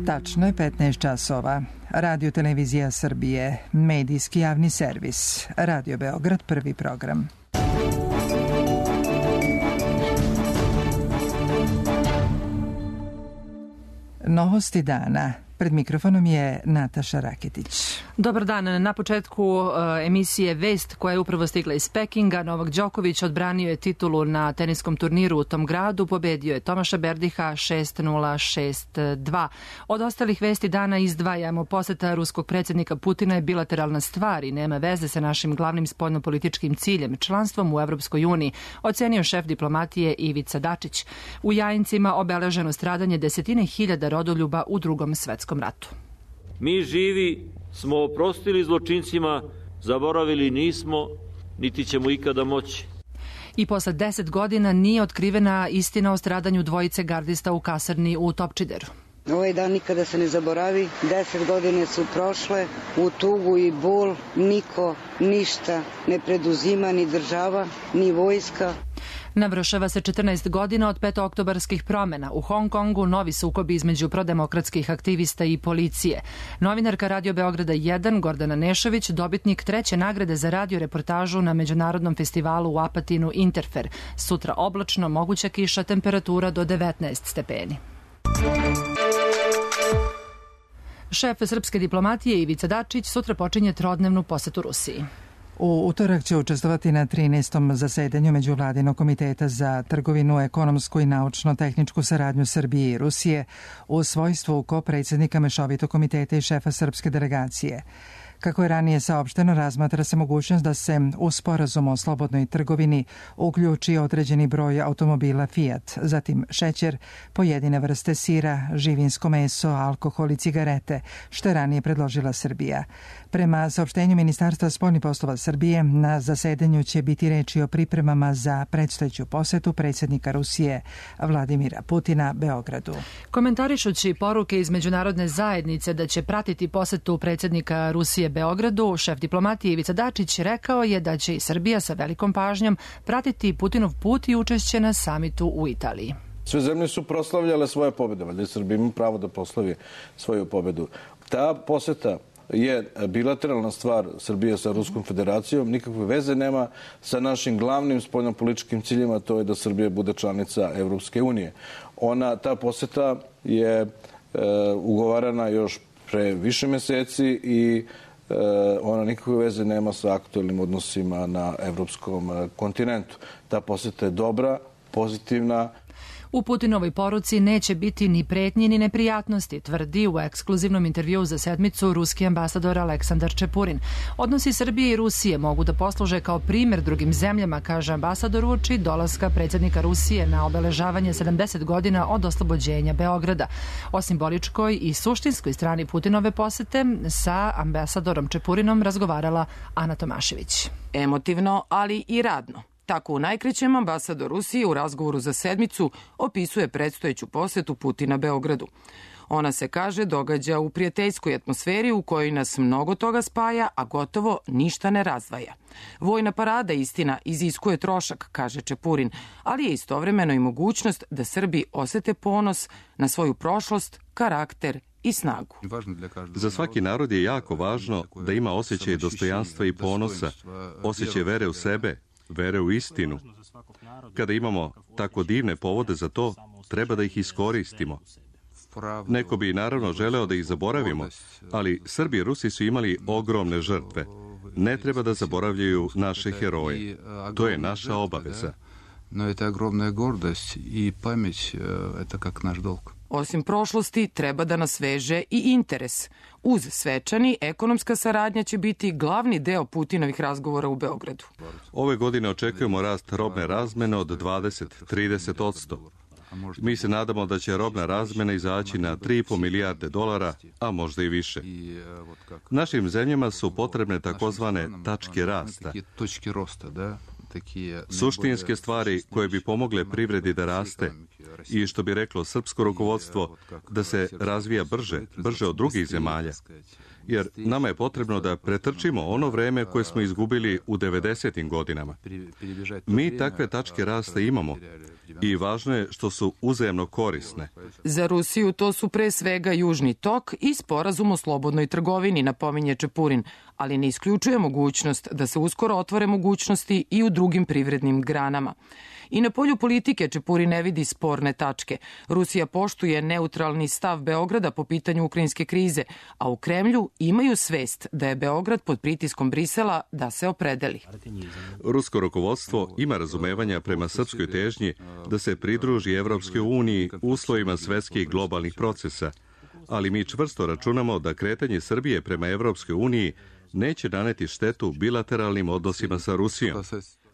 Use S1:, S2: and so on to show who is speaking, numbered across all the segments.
S1: Tačno je 15 časova. Radio Televizija Srbije, medijski javni servis. Radio Beograd, prvi program. Novosti dana. Pred mikrofonom je Nataša Raketić.
S2: Dobar dan. Na početku emisije Vest koja je upravo stigla iz Pekinga. Novak Đoković odbranio je titulu na teniskom turniru u tom gradu. Pobedio je Tomaša Berdiha 6-0, 6-2. Od ostalih vesti dana izdvajamo: poseta ruskog predsjednika Putina je bilateralna stvar i nema veze sa našim glavnim spoljnopolitičkim ciljem, članstvom u Evropskoj uniji, ocenio šef diplomatije Ivica Dačić. U Jajincima obeleženo stradanje desetine hiljada rodoljuba u Drugom svetskom ratu.
S3: Mi živi smo oprostili zločincima, zaboravili nismo, niti ćemo ikada moći.
S2: I posle 10 godina nije otkrivena istina o stradanju dvojice gardista u kasarni u Topčideru.
S4: Ovaj dan nikada se ne zaboravi, 10 godine su prošle, u tugu i bol, niko ništa ne preduzima, ni država, ni vojska.
S2: Navršava se 14 godina od petooktobarskih promena. U Hong Kongu novi sukobi između prodemokratskih aktivista i policije. Novinarka Radio Beograda 1, Gordana Nešović, dobitnik 3. nagrade za radio reportažu na međunarodnom festivalu u Apatinu Interfer. Sutra oblačno, moguća kiša, temperatura do 19 stepeni. Šef srpske diplomatije Ivica Dačić sutra počinje trodnevnu posetu Rusiji.
S1: U utorak će učestvovati na 13. zasedanju Međuvladinog komiteta za trgovinu, ekonomsku i naučno-tehničku saradnju Srbije i Rusije u svojstvu ko-predsjednika Mešovitog komiteta i šefa srpske delegacije. Kako je ranije saopšteno, razmatra se mogućnost da se u sporazumu o slobodnoj trgovini uključi određeni broj automobila Fiat, zatim šećer, pojedine vrste sira, živinsko meso, alkohol i cigarete, što je ranije predložila Srbija. Prema saopštenju Ministarstva spoljnih poslova Srbije, na zasedanju će biti reči o pripremama za predstojeću posetu predsjednika Rusije Vladimira Putina Beogradu.
S2: Komentarišući poruke iz međunarodne zajednice da će pratiti posetu predsjednika Rusije Beogradu, šef diplomatije Ivica Dačić rekao je da će i Srbija sa velikom pažnjom pratiti Putinov put i učešće na samitu u Italiji.
S5: Sve zemlje su proslavljale svoje pobjede, valjda Srbija ima pravo da proslavi svoju pobjedu. Ta poseta je bilateralna stvar Srbije sa Ruskom federacijom, nikakve veze nema sa našim glavnim spoljnopolitičkim ciljima, to je da Srbija bude članica Evropske unije. Ta poseta je ugovarana još pre više meseci i ona nikakve veze nema sa aktuelnim odnosima na evropskom kontinentu. Ta poseta je dobra, pozitivna.
S2: U Putinovoj poruci neće biti ni pretnji ni neprijatnosti, tvrdi u ekskluzivnom intervjuu za Sedmicu ruski ambasador Aleksandar Čepurin. Odnosi Srbije i Rusije mogu da posluže kao primjer drugim zemljama, kaže ambasador uoči dolaska predsjednika Rusije na obeležavanje 70 godina od oslobođenja Beograda. O simboličkoj i suštinskoj strani Putinove posete sa ambasadorom Čepurinom razgovarala Ana Tomašević.
S6: Emotivno, ali i radno. Tako u najkraćem ambasador Rusije u razgovoru za Sedmicu opisuje predstojeću posetu Putina Beogradu. Ona se, kaže, događa u prijateljskoj atmosferi u kojoj nas mnogo toga spaja, a gotovo ništa ne razdvaja. Vojna parada, istina, iziskuje trošak, kaže Čepurin, ali je istovremeno i mogućnost da Srbi osete ponos na svoju prošlost, karakter i snagu.
S7: Za svaki narod je jako važno da ima osjećaj dostojanstva i ponosa, osjećaj vere u sebe, vere u istinu. Kada imamo tako divne povode za to, treba da ih iskoristimo. Neko bi naravno želeo da ih zaboravimo, ali Srbi i Rusi su imali ogromne žrtve. Ne treba da zaboravljaju naše heroje. To je naša obaveza.
S8: No, je to ogromna gordost i pameć, eto kak naš dolg.
S6: Osim prošlosti, treba da nas veže i interes. Uz svečani, ekonomska saradnja će biti glavni deo Putinovih razgovora u Beogradu.
S7: Ove godine očekujemo rast robne razmene od 20-30%. Mi se nadamo da će robna razmena izaći na 3,5 milijarde dolara, a možda i više. Našim zemljama su potrebne takozvane tačke rasta. Suštinske stvari koje bi pomogle privredi da raste i, što bi reklo srpsko rukovodstvo, da se razvija brže od drugih zemalja. Jer nama je potrebno da pretrčimo ono vreme koje smo izgubili u 90. godinama. Mi takve tačke rasta imamo i važno je što su uzajamno korisne.
S6: Za Rusiju to su pre svega Južni tok i sporazum o slobodnoj trgovini, napominje Čepurin, ali ne isključuje mogućnost da se uskoro otvore mogućnosti i u drugim privrednim granama. I na polju politike Čepurin ne vidi sporne tačke. Rusija poštuje neutralni stav Beograda po pitanju ukrajinske krize, a u Kremlju imaju svest da je Beograd pod pritiskom Brisela da se opredeli.
S7: Rusko rukovodstvo ima razumevanja prema srpskoj težnji da se pridruži Evropskoj uniji u uslovima svetskih globalnih procesa, ali mi čvrsto računamo da kretanje Srbije prema Evropskoj uniji neće naneti štetu bilateralnim odnosima sa Rusijom.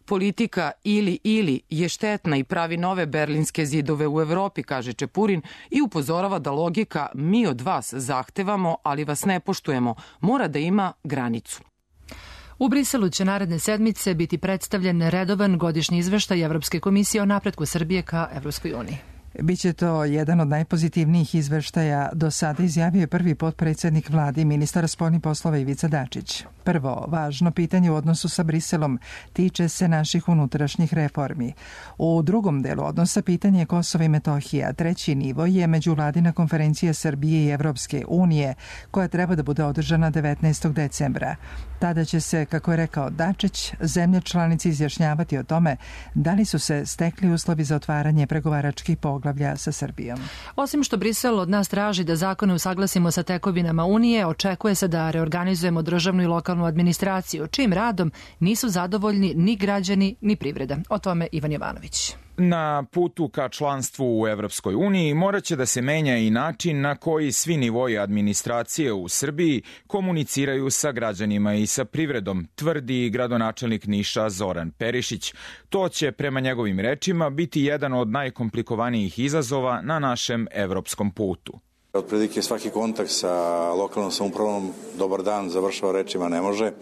S6: Politika ili je štetna i pravi nove berlinske zidove u Evropi, kaže Čepurin, i upozorava da logika mi od vas zahtevamo, ali vas ne poštujemo, mora da ima granicu.
S2: U Briselu će naredne sedmice biti predstavljen redovan godišnji izveštaj Evropske komisije o napretku Srbije ka Evropskoj uniji.
S1: Biće to jedan od najpozitivnijih izveštaja do sada, izjavio je prvi potpredsjednik vlade i ministar spoljnih poslova Ivica Dačić. Prvo, važno pitanje u odnosu sa Briselom tiče se naših unutrašnjih reformi. U drugom delu odnosa pitanje je Kosova i Metohija. Treći nivo je međuvladina konferencija Srbije i Evropske unije, koja treba da bude održana 19. decembra. Tada će se, kako je rekao Dačić, zemlje članice izjašnjavati o tome da li su se stekli uslovi za otvaranje pregovaračkih poglavlja sa Srbijom.
S2: Osim što Brisel od nas traži da zakone usaglasimo sa tekovinama Unije, očekuje se da reorganizujemo državnu i lokalnu administraciju, čijim radom nisu zadovoljni ni građani ni privreda. O tome Ivan Jovanović.
S9: Na putu ka članstvu u Evropskoj uniji moraće da se menja i način na koji svi nivoji administracije u Srbiji komuniciraju sa građanima i sa privredom, tvrdi gradonačelnik Niša Zoran Perišić. To će, prema njegovim rečima, biti jedan od najkomplikovanijih izazova na našem evropskom putu.
S10: Otprilike svaki kontakt sa lokalnom samoupravom dobar dan završava rečima ne može.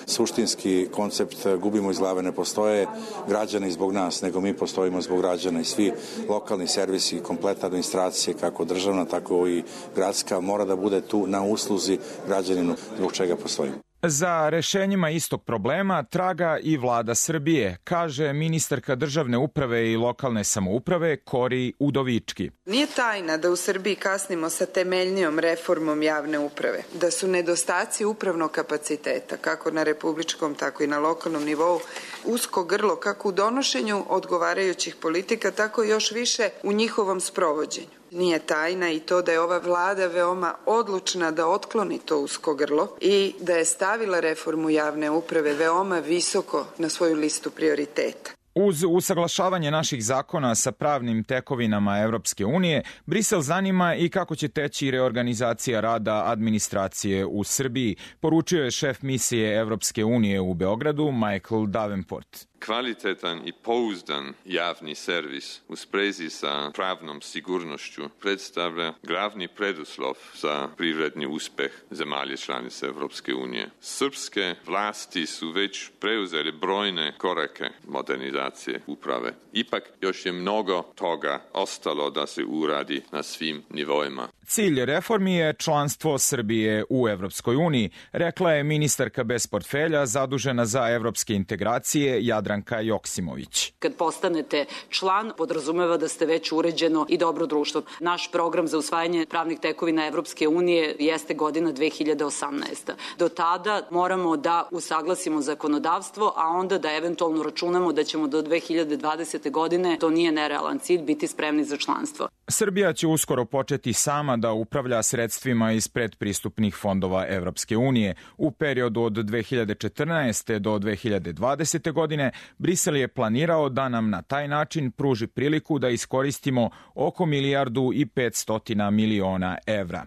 S10: Suštinski koncept gubimo iz glave, ne postoje građani zbog nas, nego mi postojimo zbog građana i svi lokalni servisi, kompletna administracija, kako državna, tako i gradska, mora da bude tu na usluzi građaninu zbog čega postojimo.
S9: Za rešenjima istog problema traga i vlada Srbije, kaže ministarka državne uprave i lokalne samouprave Kori Udovički.
S11: Nije tajna da u Srbiji kasnimo sa temeljnijom reformom javne uprave, da su nedostaci upravnog kapaciteta, kako na republičkom, tako i na lokalnom nivou, usko grlo kako u donošenju odgovarajućih politika, tako i još više u njihovom sprovođenju. Nije tajna i to da je ova vlada veoma odlučna da otkloni to usko grlo i da je stavila reformu javne uprave veoma visoko na svoju listu prioriteta.
S9: Uz usaglašavanje naših zakona sa pravnim tekovinama Evropske unije, Brisel zanima i kako će teći reorganizacija rada administracije u Srbiji, poručio je šef misije Evropske unije u Beogradu Michael Davenport.
S12: Kvalitetan i pouzdan javni servis u sprezi sa pravnom sigurnošću predstavlja glavni preduslov za privredni uspeh zemalje članice Evropske unije. Srpske vlasti su već preuzeli brojne korake modernizacije uprave. Ipak još je mnogo toga ostalo da se uradi na svim nivoima.
S9: Cilj reformi je članstvo Srbije u Evropskoj uniji, rekla je ministarka bez portfelja zadužena za evropske integracije Jadranka Joksimović.
S13: Kad postanete član, podrazumeva da ste već uređeno i dobro društvo. Naš program za usvajanje pravnih tekovina Evropske unije jeste godina 2018. Do tada moramo da usaglasimo zakonodavstvo, a onda da eventualno računamo da ćemo do 2020. godine, to nije nerealan cilj, biti spremni za članstvo.
S9: Srbija će uskoro početi sama da upravlja sredstvima iz predpristupnih fondova Evropske unije. U periodu od 2014. do 2020. godine Brisel je planirao da nam na taj način pruži priliku da iskoristimo oko 1,5 milijardi evra.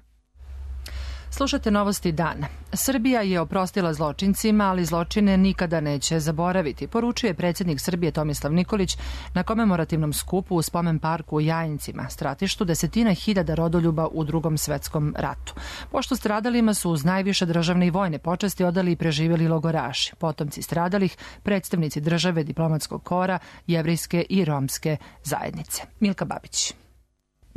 S2: Slušate novosti dana. Srbija je oprostila zločincima, ali zločine nikada neće zaboraviti, poručuje predsjednik Srbije Tomislav Nikolić na komemorativnom skupu u spomen parku u Jajincima, stratištu desetina hiljada rodoljuba u Drugom svetskom ratu. Pošto stradalima su uz najviše državne i vojne počasti odali i preživjeli logoraši, potomci stradalih, predstavnici države, diplomatskog kora, jevrejske i romske zajednice. Milka Babić.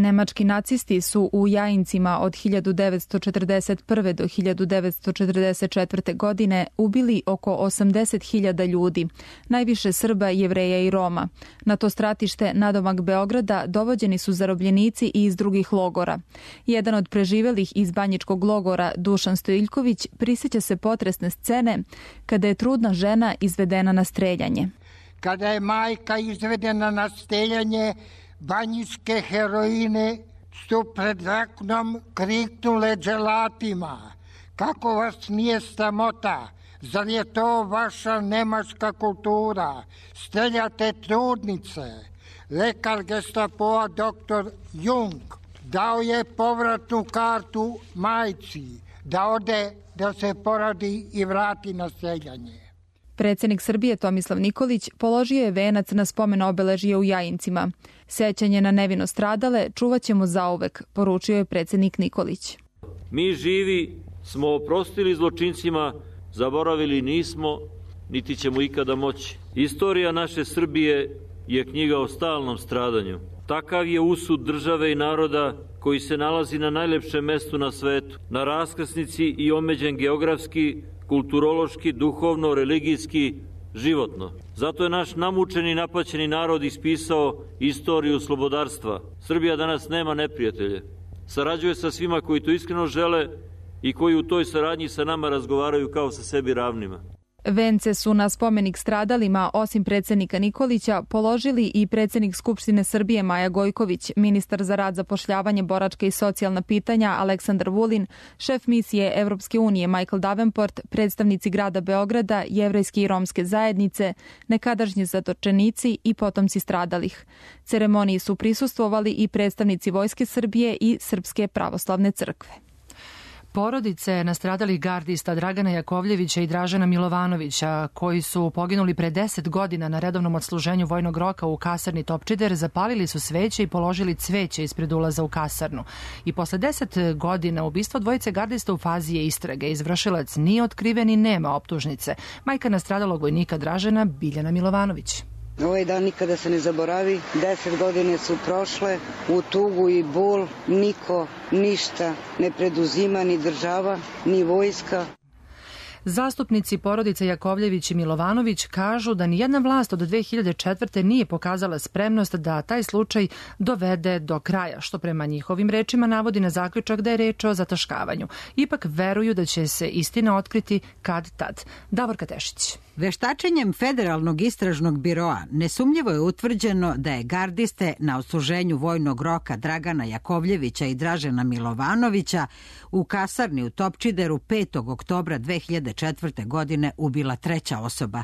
S14: Nemački nacisti su u Jajincima od 1941. do 1944. godine ubili oko 80.000 ljudi, najviše Srba, Jevreja i Roma. Na to stratište nadomak Beograda dovođeni su zarobljenici i iz drugih logora. Jedan od preživelih iz banjičkog logora, Dušan Stojiljković, prisjeća se potresne scene kada je trudna žena izvedena na streljanje.
S15: Kada je majka izvedena na streljanje, banjičke heroine su pred oknom kriknule dželatima. Kako vas nije sramota? Zar je to vaša nemačka kultura? Streljate trudnice. Lekar Gestapoa dr. Jung dao je povratnu kartu majci da ode da se porodi i vrati na streljanje.
S14: Predsjednik Srbije Tomislav Nikolić položio je venac na spomen obeležje u Jajincima. Sećanje na nevino stradale čuvat ćemo zauvek, poručio je predsjednik Nikolić.
S3: Mi živi smo oprostili zločincima, zaboravili nismo, niti ćemo ikada moći. Istorija naše Srbije je knjiga o stalnom stradanju. Takav je usud države i naroda koji se nalazi na najlepšem mestu na svetu, na raskrsnici i omeđen geografski, kulturološki, duhovno, religijski, životno. Zato je naš namučeni i napaćeni narod ispisao istoriju slobodarstva. Srbija danas nema neprijatelje. Sarađuje sa svima koji to iskreno žele i koji u toj saradnji sa nama razgovaraju kao sa sebi ravnima.
S14: Vence su na spomenik stradalima, osim predsjednika Nikolića, položili i predsjednik Skupštine Srbije Maja Gojković, ministar za rad, zapošljavanje, boračka i socijalna pitanja Aleksandar Vulin, šef misije Evropske unije Michael Davenport, predstavnici grada Beograda, jevrejske i romske zajednice, nekadašnji zatočenici i potomci stradalih. Ceremoniji su prisustvovali i predstavnici Vojske Srbije i Srpske pravoslavne crkve.
S2: Porodice nastradalih gardista Dragana Jakovljevića i Dražena Milovanovića, koji su poginuli pre 10 godina na redovnom odsluženju vojnog roka u kasarni Topčider, zapalili su sveće i položili cveće ispred ulaza u kasarnu. I posle 10 godina ubistva dvojice gardista u fazi je istrage. Izvršilac nije otkriven i nema optužnice. Majka nastradalog vojnika Dražena, Biljana Milovanović.
S4: Ovaj dan nikada se ne zaboravi, 10 godine su prošle, u tugu i bol, niko ništa ne preduzima, ni država, ni vojska.
S2: Zastupnici porodice Jakovljević i Milovanović kažu da nijedna vlast od 2004. nije pokazala spremnost da taj slučaj dovede do kraja, što prema njihovim rečima navodi na zaključak da je reč o zataškavanju. Ipak veruju da će se istina otkriti kad tad. Davorka Tešić.
S16: Veštačenjem Federalnog istražnog biroa nesumnjivo je utvrđeno da je gardiste na odsluženju vojnog roka Dragana Jakovljevića i Dražena Milovanovića u kasarni u Topčideru 5. oktobra 2004. godine ubila treća osoba.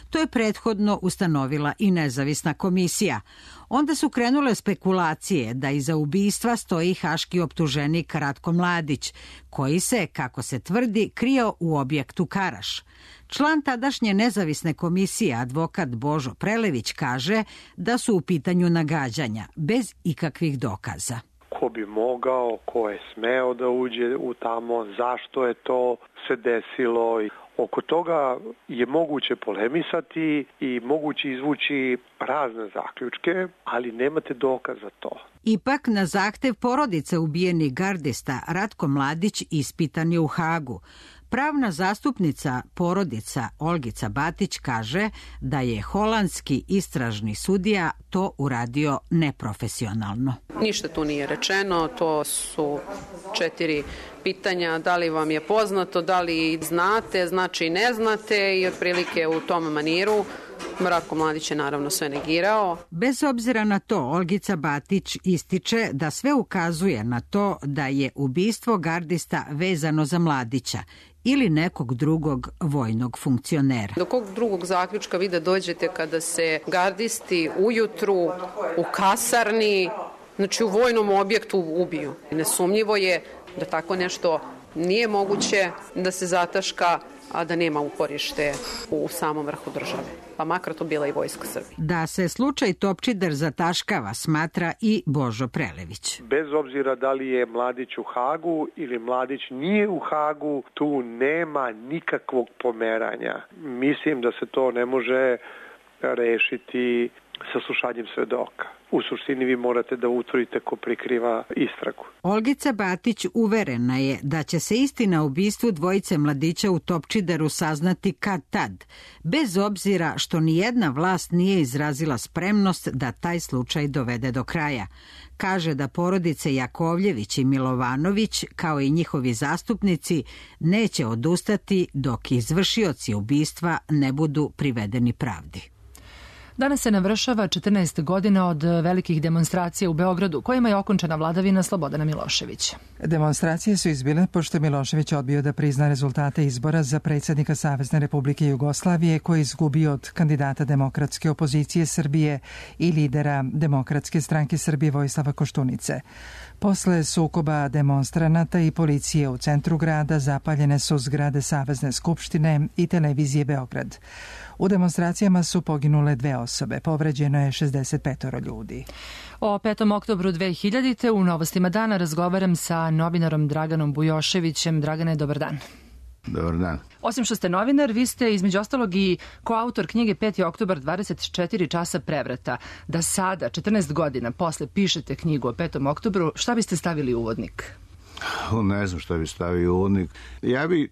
S16: To je prethodno ustanovila i nezavisna komisija. Onda su krenule spekulacije da iza ubistva stoji haški optuženik Ratko Mladić, koji se, kako se tvrdi, krio u objektu Karaš. Član tadašnje nezavisne komisije, advokat Božo Prelević, kaže da su u pitanju nagađanja, bez ikakvih dokaza.
S17: Ko bi mogao, ko je smeo da uđe u tamo, zašto je to se desilo. Oko toga je moguće polemisati i moguće izvući razne zaključke, ali nemate dokaz za to.
S16: Ipak, na zahtev porodice ubijenih gardista, Ratko Mladić ispitan je u Hagu. Pravna zastupnica porodica Olgica Batić kaže da je holandski istražni sudija to uradio neprofesionalno.
S18: Ništa tu nije rečeno, to su 4 pitanja, da li vam je poznato, da li znate, znači ne znate i otprilike u tom maniru. Ratko Mladić je naravno sve negirao.
S16: Bez obzira na to, Olgica Batić ističe da sve ukazuje na to da je ubistvo gardista vezano za Mladića ili nekog drugog vojnog funkcionera.
S18: Do kog drugog zaključka vi da dođete kada se gardisti ujutru u kasarni, znači u vojnom objektu ubiju? Nesumnjivo je da tako nešto nije moguće da se zataška, a da nema uporište u samom vrhu države. Pa makar to bila i Vojska Srbije.
S16: Da se slučaj Topčider zataškava, smatra i Božo Prelević.
S17: Bez obzira da li je Mladić u Hagu ili Mladić nije u Hagu, tu nema nikakvog pomeranja. Mislim da se to ne može rešiti saslušanjem svedoka. U suštini vi morate da utvrdite ko prikriva istragu.
S16: Olgica Batić uverena je da će se istina o ubistvu dvojice mladića u Topčideru saznati kad tad, bez obzira što nijedna vlast nije izrazila spremnost da taj slučaj dovede do kraja. Kaže da porodice Jakovljević i Milovanović, kao i njihovi zastupnici, neće odustati dok izvršioci ubistva ne budu privedeni pravdi.
S2: Danas se navršava 14 godina od velikih demonstracija u Beogradu, kojima je okončana vladavina Slobodana Miloševića.
S1: Demonstracije su izbile pošto Milošević odbio da prizna rezultate izbora za predsjednika Savezne Republike Jugoslavije, koji je izgubio od kandidata Demokratske opozicije Srbije i lidera Demokratske stranke Srbije Vojislava Koštunice. Posle sukoba demonstranata i policije u centru grada zapaljene su zgrade Savezne skupštine i televizije Beograd. U demonstracijama su poginule 2 osobe, povređeno je 65 ljudi.
S2: O 5. oktobru 2000. u Novostima dana razgovaram sa novinarom Draganom Bujoševićem. Dragane, dobar dan.
S19: Dobar dan.
S2: Osim što ste novinar, vi ste između ostalog i koautor knjige 5. oktobar 24 časa prevrata. Da sada, 14 godina posle, pišete knjigu o 5. oktobru, šta biste stavili u uvodnik?
S19: Ne znam šta bi stavio u uvodnik. Ja bi,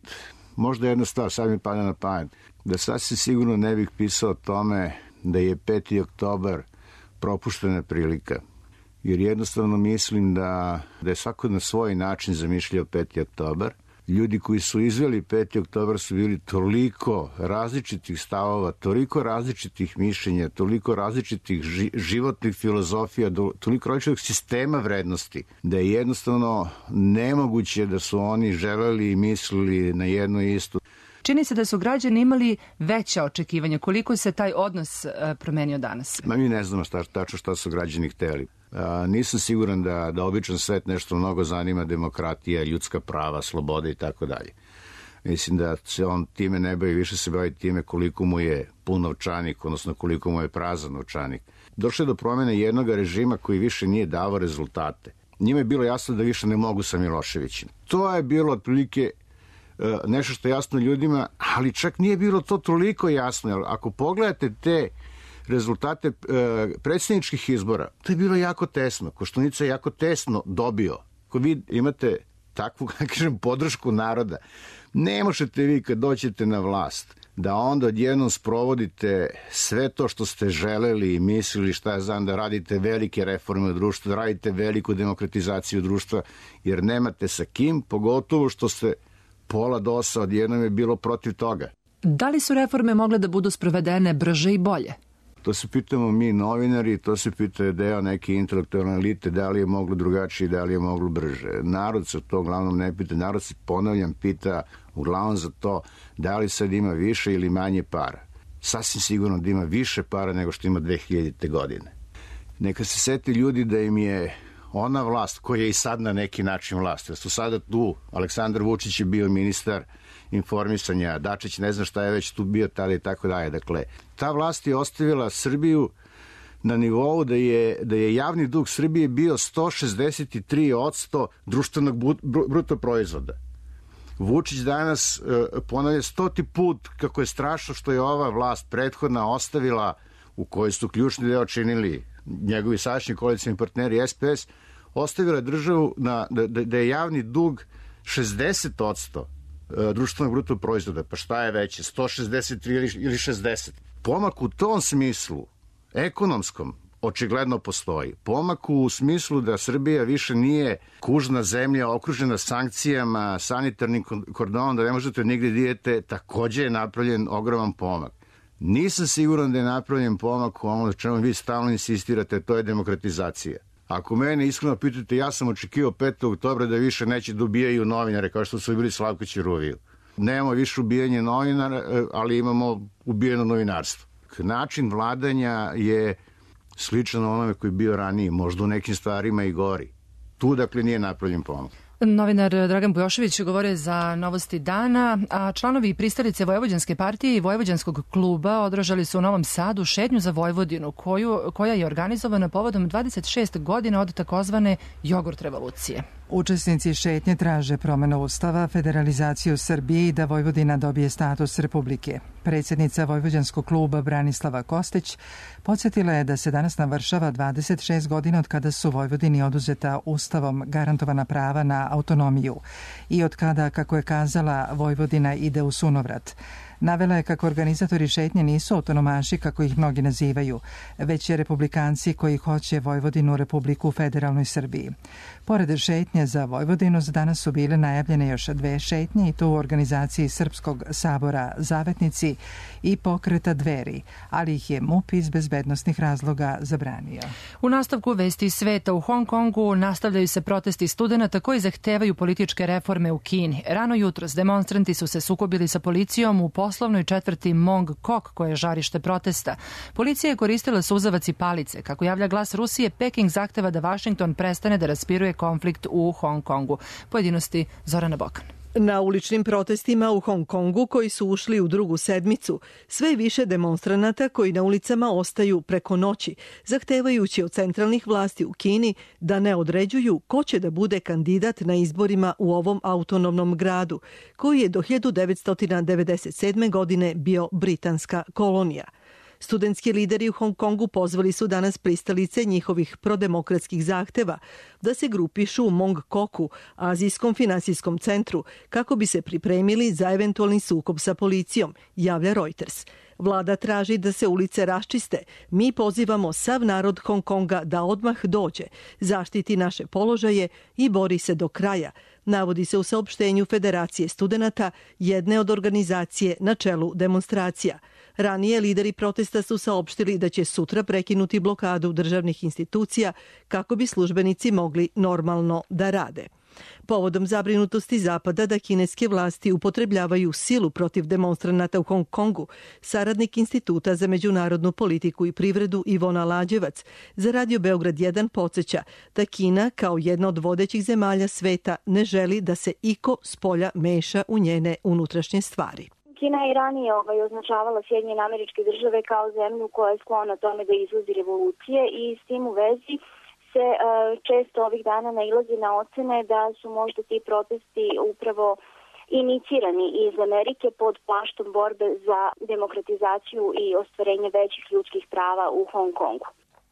S19: možda jedna stvar, sad mi pada na pamet, da sasvim sigurno ne bih pisao o tome da je 5. oktobar propuštena prilika. Jer jednostavno mislim da je svako na svoj način zamišljao 5. oktobar. Ljudi koji su izveli 5. oktobar su bili toliko različitih stavova, toliko različitih mišljenja, toliko različitih životnih filozofija, toliko različitih sistema vrednosti, da je jednostavno nemoguće da su oni želeli i mislili na jedno isto.
S2: Čini se da su građani imali veća očekivanja. Koliko se taj odnos promenio danas?
S19: Mi ne znamo tačno šta su građani hteli. Nisam siguran da običan svet nešto mnogo zanima demokratija, ljudska prava, slobode i tako dalje. Mislim da se on time ne bavi, više se bavi time koliko mu je pun novčanik, odnosno koliko mu je prazan novčanik. Došlo je do promjene jednog režima koji više nije davao rezultate. Njima je bilo jasno da više ne mogu sa Miloševićem. To je bilo otprilike nešto što je jasno ljudima, ali čak nije bilo to toliko jasno. Jer ako pogledate te rezultate predsjedničkih izbora, to je bilo jako tesno. Koštunica je jako tesno dobio. Ako vi imate takvu, kažem, podršku naroda, ne možete vi kad dođete na vlast da onda odjednom sprovodite sve to što ste želeli i mislili, šta ja znam, da radite velike reforme u društvu, da radite veliku demokratizaciju društva, jer nemate sa kim, pogotovo što ste pola DOS-a odjednom je bilo protiv toga.
S2: Da li su reforme mogle da budu sprovedene brže i bolje?
S19: To se pitamo mi novinari, to se pita deo neke intelektualne elite, da li je moglo drugačije, da li je moglo brže. Narod se to uglavnom ne pita, narod se, ponavljam, pita uglavnom za to da li sad ima više ili manje para. Sasvim sigurno da ima više para nego što ima 2000. godine. Neka se seti ljudi da im je ona vlast koja je i sad na neki način vlast, jer su sada tu, Aleksandar Vučić je bio ministar informisanja, Dačić ne zna šta je već tu bio tada i tako dalje. Dakle, ta vlast je ostavila Srbiju na nivou da je javni dug Srbije bio 163% društvenog bruto proizvoda. Vučić danas ponavlja 100. put kako je strašno što je ova vlast prethodna ostavila, u kojoj su ključni deo činili njegovi sadašnji koalicioni partneri SPS, ostavila državu da je javni dug 60% društvenog bruto proizvoda. Pa šta je veće, 163 ili 60? Pomak u tom smislu, ekonomskom, očigledno postoji. Pomak u smislu da Srbija više nije kužna zemlja okružena sankcijama, sanitarnim kordonom, da ne možete nigde dijete, takođe je napravljen ogroman pomak. Nisam siguran da je napravljen pomak u ono čemu vi stalno insistirate, to je demokratizacija. Ako mene iskreno pitate, ja sam očekivao 5. oktobra da više neće da ubijaju novinare, kao što su bili Slavko Ćiruviju. Nemamo više ubijanje novinara, ali imamo ubijeno novinarstvo. Način vladanja je sličan onome koji je bio ranije, možda u nekim stvarima i gori. Tu, dakle, nije napravljen pomak.
S2: Novinar Dragan Bujošević govore za Novosti dana, a članovi pristalice Vojvođanske partije i Vojvođanskog kluba održali su u Novom Sadu šetnju za Vojvodinu, koja je organizovana povodom 26 godina od takozvane jogurt revolucije.
S1: Učesnici šetnje traže promenu ustava, federalizaciju Srbije i da Vojvodina dobije status republike. Predsjednica Vojvođanskog kluba Branislava Kostić podsjetila je da se danas navršava 26 godina od kada su Vojvodini oduzeta ustavom garantovana prava na autonomiju i od kada, kako je kazala, Vojvodina ide u sunovrat. Navela je kako organizatori šetnje nisu autonomaši, kako ih mnogi nazivaju, već je republikanci koji hoće Vojvodinu republiku u federalnoj Srbiji. Pored šetnje za Vojvodinu, za danas su bile najavljene još 2 šetnje i to u organizaciji Srpskog sabora Zavetnici i pokreta Dveri, ali ih je MUP iz bezbednosnih razloga zabranio.
S2: U nastavku vesti sveta u Hong Kongu nastavljaju se protesti studenata koji zahtevaju političke reforme u Kini. Rano jutros demonstranti su se sukobili sa policijom u poslovnoj četvrti Mong Kok, koja je žarište protesta. Policija je koristila suzavac i palice. Kako javlja Glas Rusije, Peking zahteva da Vašington prestane da raspiruje konflikt u Hong Kongu. Pojedinosti Zorana Bokan.
S20: Na uličnim protestima u Hong Kongu, koji su ušli u drugu sedmicu, sve više demonstranata koji na ulicama ostaju preko noći, zahtevajući od centralnih vlasti u Kini da ne određuju ko će da bude kandidat na izborima u ovom autonomnom gradu, koji je do 1997. godine bio britanska kolonija. Studentski lideri u Hong Kongu pozvali su danas pristalice njihovih prodemokratskih zahteva da se grupišu u Mong Koku, azijskom finansijskom centru, kako bi se pripremili za eventualni sukob sa policijom, javlja Reuters. Vlada traži da se ulice raščiste. Mi pozivamo sav narod Hong Konga da odmah dođe, zaštiti naše položaje i bori se do kraja, navodi se u saopštenju Federacije studenata, jedne od organizacije na čelu demonstracija. Ranije lideri protesta su saopštili da će sutra prekinuti blokadu državnih institucija kako bi službenici mogli normalno da rade. Povodom zabrinutosti Zapada da kineske vlasti upotrebljavaju silu protiv demonstranata u Hong Kongu, saradnik Instituta za međunarodnu politiku i privredu Ivona Lađevac za Radio Beograd 1 podsjeća da Kina kao jedna od vodećih zemalja sveta ne želi da se iko spolja meša u njene unutrašnje stvari.
S21: Kina je ranije označavala Sjedinjene Američke Države kao zemlju koja je sklona tome da izvozi revolucije i s tim u vezi se često ovih dana nailazi na ocene da su možda ti protesti upravo inicirani iz Amerike pod plaštom borbe za demokratizaciju i ostvarenje većih ljudskih prava u Hong Kongu.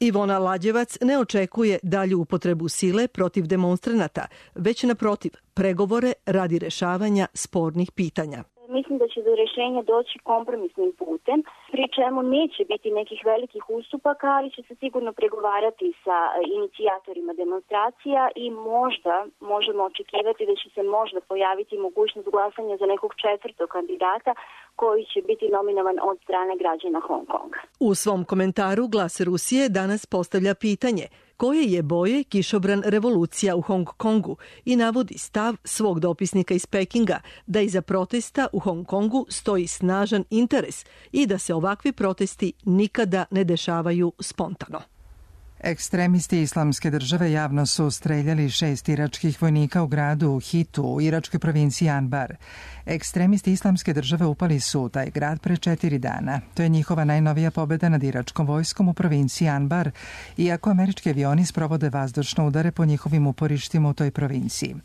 S20: Ivona Lađevac ne očekuje dalju upotrebu sile protiv demonstranata, već naprotiv pregovore radi rešavanja spornih pitanja.
S21: Mislim da će do rešenja doći kompromisnim putem, pri čemu neće biti nekih velikih ustupaka, ali će se sigurno pregovarati sa inicijatorima demonstracija i možda možemo očekivati da će se možda pojaviti mogućnost glasanja za nekog četvrtog kandidata koji će biti nominovan od strane građana Hong Konga.
S20: U svom komentaru Glas Rusije danas postavlja pitanje koje je boje kišobran revolucija u Hong Kongu i navodi stav svog dopisnika iz Pekinga da iza protesta u Hong Kongu stoji snažan interes i da se ovakvi protesti nikada ne dešavaju spontano.
S1: Ekstremisti Islamske države javno su streljali 6 iračkih vojnika u gradu Hitu u iračkoj provinciji Anbar. Ekstremisti Islamske države upali su u taj grad pre 4 dana. To je njihova najnovija pobjeda nad iračkom vojskom u provinciji Anbar, iako američki avioni sprovode vazdušne udare po njihovim uporištima u toj provinciji.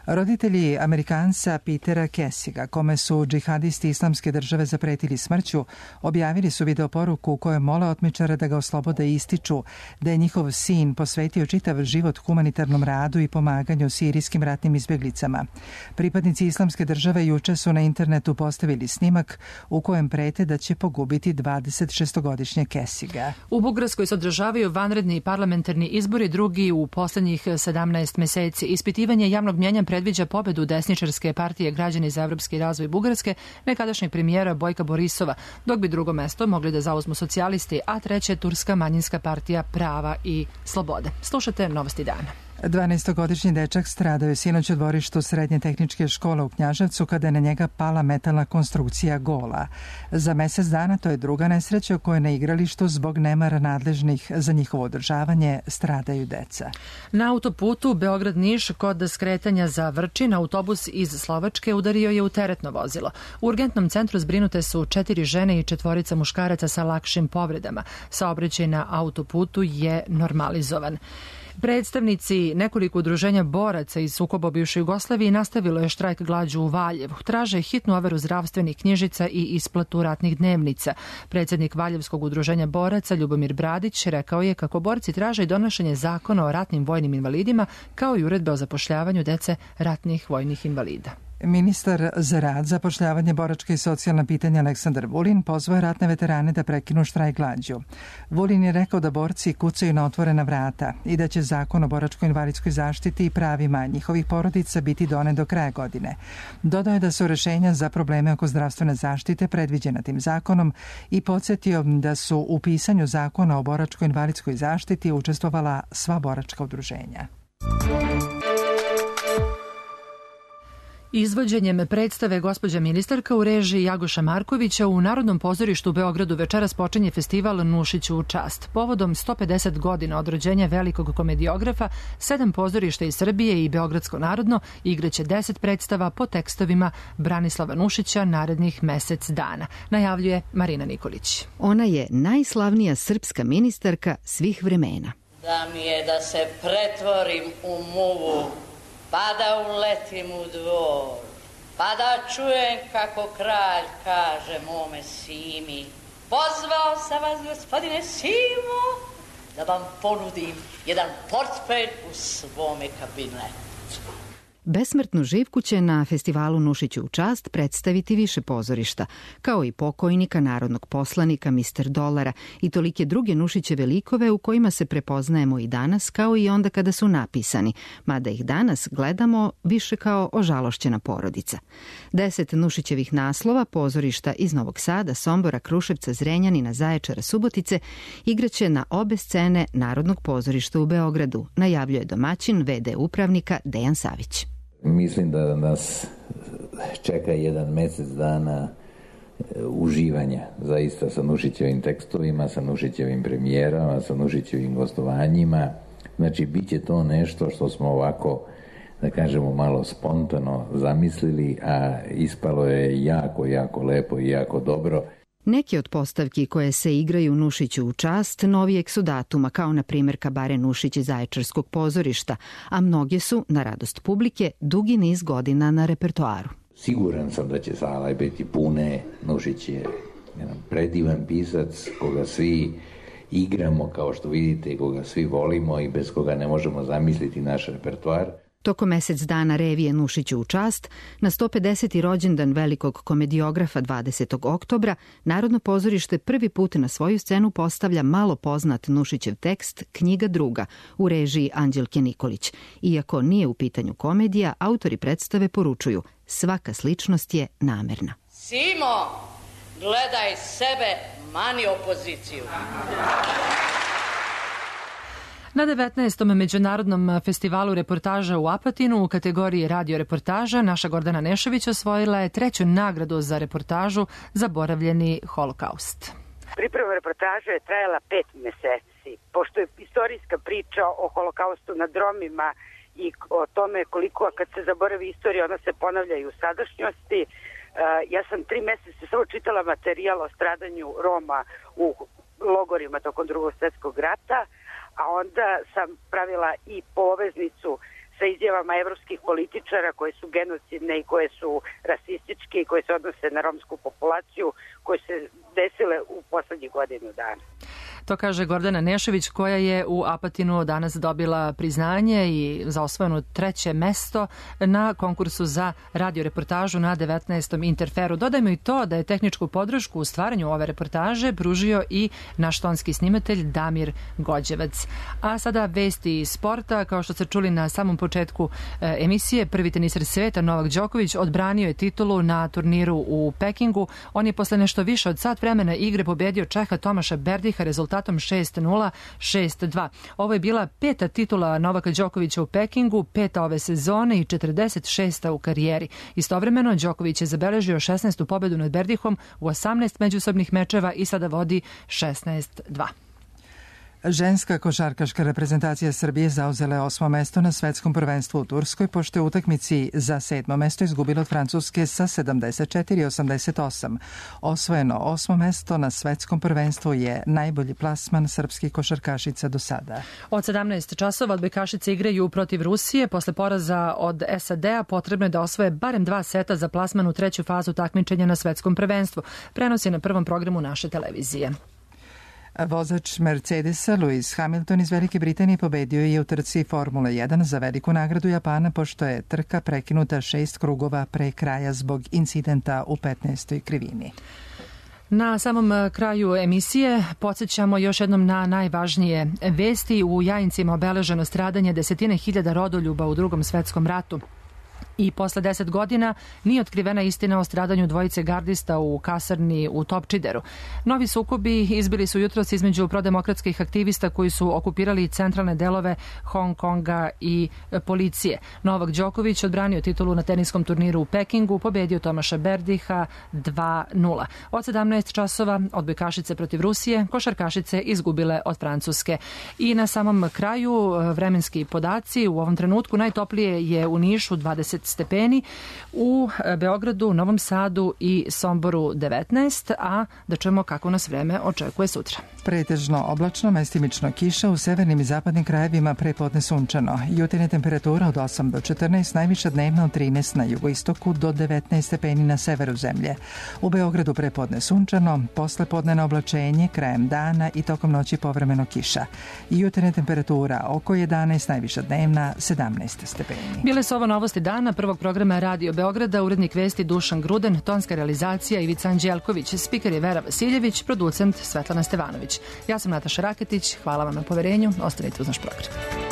S1: Roditelji Amerikanca Petera Kessiga, kome su džihadisti Islamske države zapretili smrću, objavili su videoporuku u kojoj mole otmičara da ga oslobode i ističu da je njihov sin posvetio čitav život humanitarnom radu i pomaganju sirijskim ratnim izbjeglicama. Pripadnici Islamske države juče su na internetu postavili snimak u kojem prete da će pogubiti 26-godišnje Kessiga.
S2: U Bugarskoj se održavaju vanredni parlamentarni izbori, drugi u poslednjih 17 meseci. Ispitivanje javnog mnjenja predviđa pobedu desničarske partije Građani za evropski razvoj Bugarske, nekadašnjeg premijera Bojka Borisova, dok bi drugo mesto mogli da zauzmu socijalisti, a treće turska manjinska partija Prava i slobode. Slušate Novosti dana.
S1: 12-godišnji dečak stradao je sinoć u dvorištu srednje tehničke škole u Knjaževcu kada je na njega pala metalna konstrukcija gola. Za mesec dana to je druga nesreća u kojoj na igralištu zbog nemara nadležnih za njihovo održavanje stradaju deca.
S2: Na autoputu Beograd-Niš kod skretanja za Vrčin autobus iz Slovačke udario je u teretno vozilo. U urgentnom centru zbrinute su 4 žene i 4 muškaraca sa lakšim povredama. Saobraćaj na autoputu je normalizovan. Predstavnici nekoliko udruženja boraca iz sukoba u bivšoj Jugoslaviji nastavilo je štrajk glađu u Valjevu. Traže hitnu overu zdravstvenih knjižica i isplatu ratnih dnevnica. Predsjednik Valjevskog udruženja boraca Ljubomir Bradić rekao je kako borci traže i donošenje zakona o ratnim vojnim invalidima kao i uredbe o zapošljavanju dece ratnih vojnih invalida.
S1: Ministar za rad, zapošljavanje, boračka i socijalna pitanja Aleksandar Vulin pozvao ratne veterane da prekinu štrajk glađu. Vulin je rekao da borci kucaju na otvorena vrata i da će zakon o boračko-invalidskoj zaštiti i pravima njihovih porodica biti donet do kraja godine. Dodao je da su rešenja za probleme oko zdravstvene zaštite predviđena tim zakonom i podsjetio da su u pisanju zakona o boračko-invalidskoj zaštiti učestvovala sva boračka udruženja.
S2: Izvođenjem predstave Gospođa ministarka u režiji Jagoša Markovića u Narodnom pozorištu u Beogradu večeras počinje festival Nušiću u čast. Povodom 150 godina od rođenja velikog komediografa, 7 pozorišta iz Srbije i Beogradsko narodno igraće 10 predstava po tekstovima Branislava Nušića narednih mesec dana, najavljuje Marina Nikolić.
S5: Ona je najslavnija srpska ministarka svih vremena.
S22: Da mi je da se pretvorim u muvu, pa da uletim u dvor, pa da čujem kako kralj kaže mome Simi: pozvao sam vas, gospodine Simo, da vam ponudim jedan portfelj u svome kabinetu.
S5: Besmrtnu Živku će na festivalu Nušiću u čast predstaviti više pozorišta, kao i pokojnika, narodnog poslanika, Mister Dolara i tolike druge Nušićeve likove u kojima se prepoznajemo i danas, kao i onda kada su napisani, mada ih danas gledamo više kao ožalošćena porodica. 10 Nušićevih naslova pozorišta iz Novog Sada, Sombora, Kruševca, Zrenjanina, Zaječara, Subotice igraće na obe scene Narodnog pozorišta u Beogradu, najavljuje domaćin VD upravnika Dejan Savić.
S23: Mislim da nas čeka jedan mesec dana uživanja zaista sa Nušićevim tekstovima, sa Nušićevim premijerama, sa Nušićevim gostovanjima. Znači, bit će to nešto što smo ovako, da kažemo, malo spontano zamislili, a ispalo je jako, jako lepo i jako dobro.
S5: Neki od postavki koje se igraju Nušiću u čast novijeg su datuma, kao na primjer Kabare Nušić iz Zaječarskog pozorišta, a mnoge su, na radost publike, dugi niz godina na repertoaru.
S23: Siguran sam da će sale biti pune. Nušić je jedan predivan pisac koga svi igramo, kao što vidite, i koga svi volimo i bez koga ne možemo zamisliti naš repertoar.
S5: Tokom mesec dana revije Nušiću u čast, na 150. rođendan velikog komediografa 20. oktobra, Narodno pozorište prvi put na svoju scenu postavlja malo poznat Nušićev tekst Knjiga druga u režiji Anđelke Nikolić. Iako nije u pitanju komedija, autori predstave poručuju: svaka sličnost je namerna.
S22: Simo, gledaj sebe, mani opoziciju.
S2: Na 19. Međunarodnom festivalu reportaža u Apatinu u kategoriji radio reportaža naša Gordana Nešović osvojila je 3. nagradu za reportažu Zaboravljeni holokaust.
S24: Priprema reportaže je trajala 5 meseci. Pošto je istorijska priča o holokaustu nad Romima i o tome koliko kad se zaboravi istorija ona se ponavlja i u sadašnjosti, ja sam 3 meseca samo čitala materijal o stradanju Roma u logorima tokom Drugog svjetskog rata, a onda sam pravila i poveznicu sa izjavama evropskih političara koje su genocidne i koje su rasističke i koje se odnose na romsku populaciju, koje se desile u poslednjih godinu dana.
S2: To kaže Gordana Nešović, koja je u Apatinu danas dobila priznanje i za osvojeno 3. mesto na konkursu za radioreportažu na 19. Interferu. Dodajmo i to da je tehničku podršku u stvaranju ove reportaže pružio i naš tonski snimatelj Damir Gođevac. A sada vesti iz sporta. Kao što ste čuli na samom početku emisije, prvi teniser sveta Novak Đoković odbranio je titulu na turniru u Pekingu. On je posle nešto više od sat vremena igre pobedio Čeha Tomaša Berdiha rezultatom 6-0, 6-2. Ovo je bila 5. titula Novaka Đokovića u Pekingu, 5. ove sezone i 46. u karijeri. Istovremeno, Đoković je zabeležio 16. pobedu nad Berdihom u 18 međusobnih mečeva i sada vodi 16-2.
S1: Ženska košarkaška reprezentacija Srbije zauzela je 8. mesto na svetskom prvenstvu u Turskoj, pošto je u utakmici za 7. mesto izgubila od Francuske sa 74-88. Osvojeno 8. mesto na svetskom prvenstvu je najbolji plasman srpskih košarkašica do sada.
S2: Od 17 časova odbojkašice igraju protiv Rusije. Posle poraza od SAD-a potrebno je da osvoje barem 2 seta za plasman u treću fazu takmičenja na svetskom prvenstvu. Prenos je na prvom programu naše televizije.
S1: Vozač Mercedesa Lewis Hamilton iz Velike Britanije pobedio je u trci Formule 1 za veliku nagradu Japana, pošto je trka prekinuta 6 krugova pre kraja zbog incidenta u 15. krivini.
S2: Na samom kraju emisije podsjećamo još jednom na najvažnije vesti. U Jajincima obeleženo stradanje desetine hiljada rodoljuba u Drugom svetskom ratu. I posle 10 godina nije otkrivena istina o stradanju dvojice gardista u kasarni u Topčideru. Novi sukobi izbili su jutros između prodemokratskih aktivista koji su okupirali centralne delove Hong Konga i policije. Novak Đoković odbranio titulu na teniskom turniru u Pekingu, pobedio Tomaša Berdiha 2-0. Od 17 časova odbojkašice protiv Rusije, košarkašice izgubile od Francuske. I na samom kraju vremenski podaci. U ovom trenutku najtoplije je u Nišu 20 stepeni, u Beogradu, Novom Sadu i Somboru 19, a da čujemo kako nas vreme očekuje sutra.
S1: Pretežno oblačno, mestimično kiša, u severnim i zapadnim krajevima prepodne sunčano. Jutarnja temperatura od 8 do 14, najviša dnevna od 13 na jugoistoku do 19 stepeni na severu zemlje. U Beogradu prepodne sunčano, poslepodnevno oblačenje, krajem dana i tokom noći povremeno kiša. Jutarnja temperatura oko 11, najviša dnevna 17 stepeni.
S2: Bile su ovo novosti dana prvog programa Radio Beograda, urednik vesti Dušan Gruden, tonska realizacija Ivica Anđelković, spiker je Vera Vasiljević, producent Svetlana Stevanović. Ja sam Nataša Raketić, hvala vam na poverenju, ostanite uz naš program.